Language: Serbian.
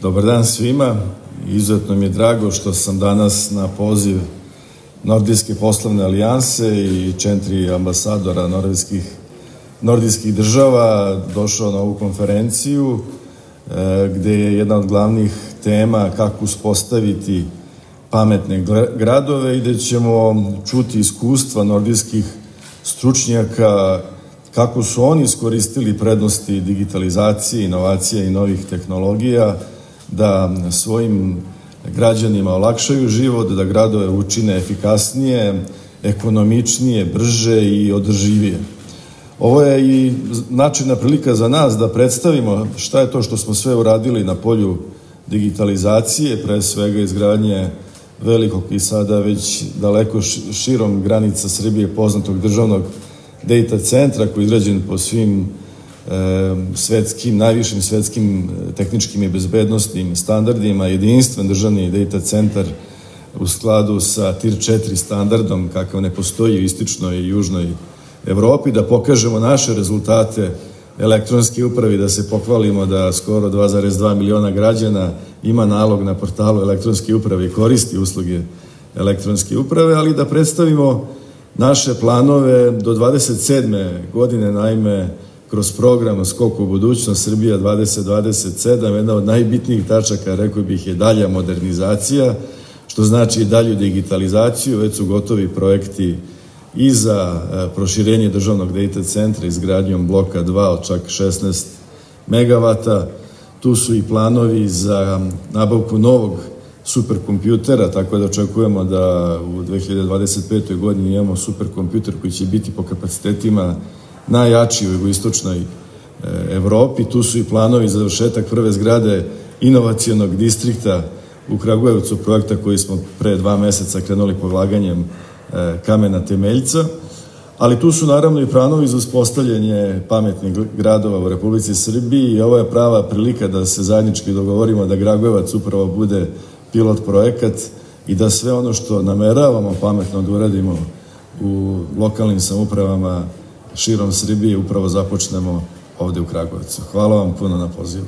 Dobar dan svima. Izuzetno mi je drago što sam danas na poziv Nordijske poslovne alijanse i 4 ambasadora nordijskih država došao na ovu konferenciju gde je jedna od glavnih tema kako uspostaviti pametne gradove i gde ćemo čuti iskustva nordijskih stručnjaka kako su oni iskoristili prednosti digitalizacije, inovacija i novih tehnologija da svojim građanima olakšaju život, da gradove učine efikasnije, ekonomičnije, brže i održivije. Ovo je i značajna prilika za nas da predstavimo šta je to što smo sve uradili na polju digitalizacije, pre svega izgradnje velikog i sada već daleko širom granica Srbije poznatog državnog data centra koji je izgrađen po svim najvišim svetskim tehničkim i bezbednostnim standardima, jedinstven državni data centar u skladu sa TIR 4 standardom kakav ne postoji u istočnoj i južnoj Evropi, da pokažemo naše rezultate elektronske uprave, da se pohvalimo da skoro 2,2 miliona građana ima nalog na portalu elektronske uprave i koristi usluge elektronske uprave, ali da predstavimo naše planove do 27. godine, naime, kroz program Skok u budućnost Srbija 2027, jedna od najbitnijih tačaka, rekao bih, je dalja modernizacija, što znači i dalju digitalizaciju. Već su gotovi projekti i za proširenje državnog data centra izgradnjom bloka 2 od čak 16 megavata. Tu su i planovi za nabavku novog superkompjutera, tako da očekujemo da u 2025. godini imamo superkompjuter koji će biti po kapacitetima najjači u jugoistočnoj Evropi. Tu su i planovi za završetak prve zgrade inovacionog distrikta u Kragujevcu, projekta koji smo pre 2 meseca krenuli polaganjem kamena temeljca, ali tu su naravno i planovi za uspostavljanje pametnih gradova u Republici Srbiji i ovo je prava prilika da se zajednički dogovorimo da Kragujevac upravo bude pilot projekat i da sve ono što nameravamo pametno da uradimo u lokalnim samoupravama širom Srbije upravo započnemo ovde u Kragujevcu. Hvala vam puno na pozivu.